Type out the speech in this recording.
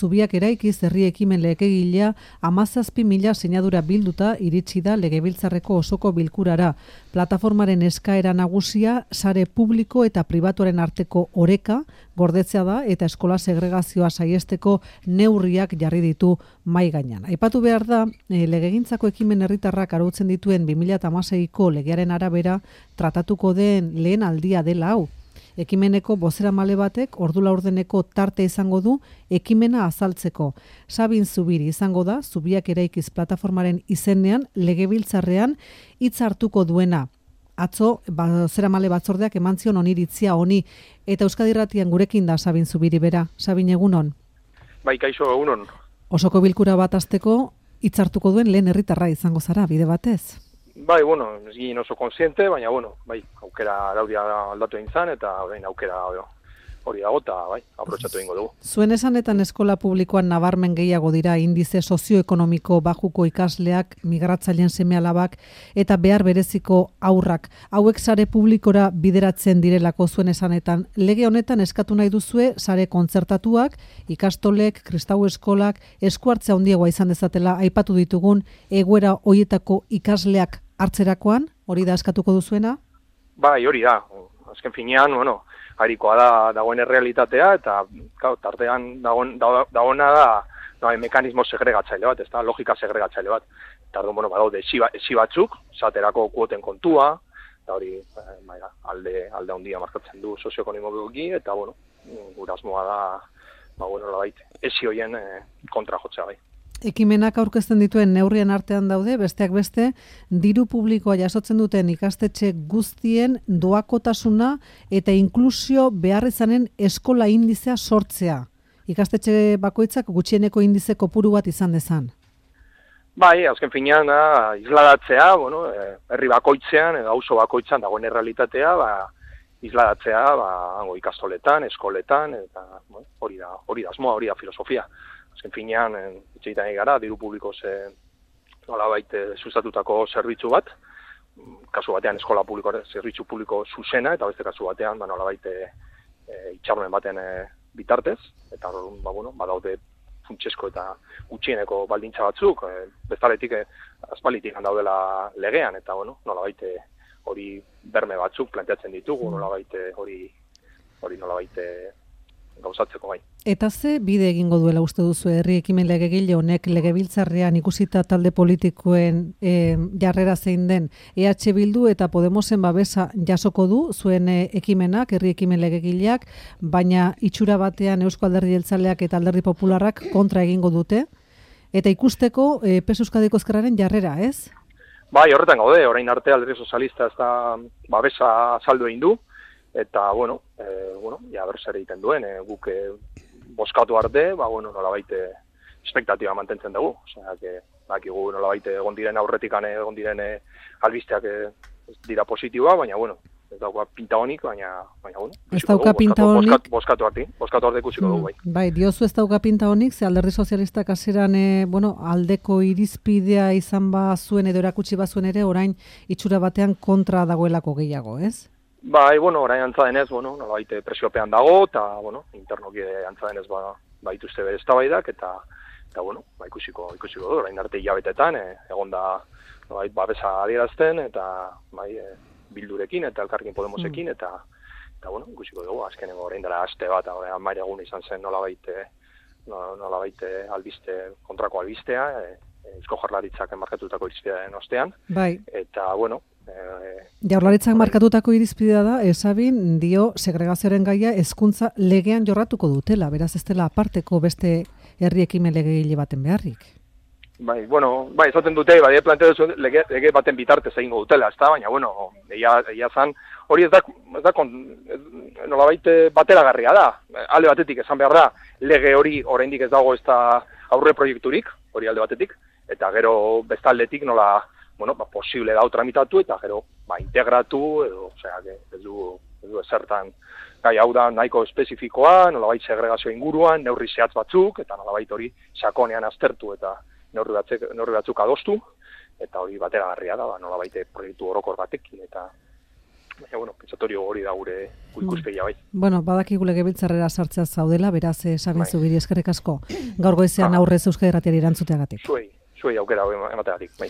zubiak eraikiz herri ekimen legegilea 17.000 sinadura bilduta iritsi da Legebiltzarreko osoko bilkurara. Plataformaren eskaera nagusia sare publiko eta pribatuaren arteko oreka gordetzea da eta eskola segregazioa saiesteko neurriak jarri ditu mahai gainean. Aipatu behar da, legegintzako ekimen herritarrak arautzen dituen 2016ko legearen arabera tratatuko den lehen aldia dela hau. Ekimeneko bozeramale batek ordu laurdeneko tarte izango du ekimena azaltzeko. Sabin Zubiri izango da, Zubiak eraikiz plataformaren izenean Legebiltzarrean hitz hartuko duena. Atzo, bozeramale batzordeak eman zion oniritzia honi, eta Euskadi Irratian gurekin da Sabin Zubiri bera. Sabin, egunon? Bai, kaixo, egunon. Osoko bilkura bat hasteko hitz hartuko duen lehen herritarra izango zara, bide batez? Bai, ez ginen oso konsiente, baina, bai, aukera araudia aldatu egin zan, eta aukera hori dago, eta bai, aprotxatu egingo dugu. Zuen esanetan eskola publikoan nabarmen gehiago dira indize sozioekonomiko bajuko ikasleak, migratzaileen seme-alabak eta behar bereziko haurrak. Hauek sare publikora bideratzen direlako zuen esanetan. Lege honetan eskatu nahi duzue sare kontzertatuak, ikastolek, kristau eskolak, eskuartzea handiagoa izan dezatela aipatu ditugun egoera hoietako ikasleak hartzerakoan, hori da eskatuko duzuena? Bai, hori da. Azken finean, harikoa da dagoen errealitatea, eta tartean dagoena da mekanismo segregatzaile bat, ez da, logika segregatzaile bat. Eta badaude esi batzuk, esaterako kuoten kontua, eta hori alde handia markatzen du sozioekonomikoki, eta gure asmoa da, esi horien kontra jotzea bai. Ekimenak aurkezten dituen neurrien artean daude, besteak beste, diru publikoa jasotzen duten ikastetxe guztien doakotasuna eta inklusio beharrizanen eskola indizea sortzea. Ikastetxe bakoitzak gutxieneko indize kopuru bat izan dezan. Bai, azken finean, isladatzea, herri bakoitzean, edo auzo bakoitzan dagoen errealitatea, isladatzea, ikastoletan, eskoletan, eta hori da asmoa, hori da filosofia. Azken finean, itxeitan gara, diru publiko nolabait sustatutako zerbitzu bat, kasu batean eskola publiko, zerbitzu publiko zuzena, eta beste kasu batean nolabait itxaronen baten bitartez, eta badaude funtsesko eta gutxieneko baldintza batzuk, bestaletik aspalditik daudela legean, eta nolabait hori berme batzuk planteatzen ditugu, nolabait hori nolabait gauzatzeko bai. Eta ze bide egingo duela uste duzu herri ekimen legegile honek Legebiltzarrean ikusita talde politikoen jarrera zein den EH Bildu eta Podemosen babesa jasoko du zuen ekimenak, herri ekimen legegileak, baina itxura batean Eusko Alderdi Jeltzaleak eta Alderdi Popularrak kontra egingo dute, eta ikusteko PSE Euskadiko Ezkerraren jarrera, ez? Bai, horretan gaude, orain arte Alderdi Sozialista ez da babesa azaldu egin du, eta, ja zer egiten duen, guk boskatu arte, nolabait espektatiba mantentzen dugu. Osea, bakigu nolabait egon diren aurretikan egon diren albisteak dira positiboa, baina, ez dauka pinta honik, baina, ez dauka pinta honik. Boskatu arte ikusiko dugu, bai. Bai, diozu ez dauka pinta honik, ze Alderdi Sozialistak hasieran aldeko irizpidea izan bazuen edo erakutsi bazuen ere, orain itxura batean kontra dagoelako gehiago, ez? Bai, orain antza denez, nolabait presiopean dago, eta, internoki antza denez baituzte bere eztabaidak, eta ikusiko du, orain arte hilabetetan, egon da, babesa adierazten, eta, Bildurekin, eta Elkarrekin Podemosekin, eta, ikusiko dugu, azkenengo orain dela aste bat, amaire egun izan zen nolabait albiste, kontrako albistea, Eusko Jaurlaritzak markatutako irizpidearen ostean, eta, Jaurlaritzak markatutako irizpidea da, Sabin dio segregazioaren gaia hezkuntza legean jorratuko dutela, beraz ez dela aparteko beste herri ekimen legegile baten beharrik. Bai, esaten dute, planteatu lege baten bitartez egingo dutela, ezta, baina, egia zan, hori ez da nolabait bateragarria da, alde batetik esan behar da, lege hori oraindik ez dago ez da aurre proiekturik, hori alde batetik, eta gero bestaldetik nola, posible dau tramitatu eta gero integratu edo, ez du ezertan gai hau da nahiko espezifikoa, nolabait segregazio inguruan, neurri zehatz batzuk, eta nolabait hori sakonean aztertu eta neurri batzuk adostu, eta hori bateragarria da, nolabait proiektu orokor batekin, eta Baina, bueno, pentsatorio hori da gure ikuspegia bai. Bueno, badakigu legebiltzarrera sartzea zaudela, beraz, Sabin Zubiri, eskerrik asko. Gaur goizean aurrez Euskadi Irratiari erantzuteagatik. Zuei aukera emateagatik, bai.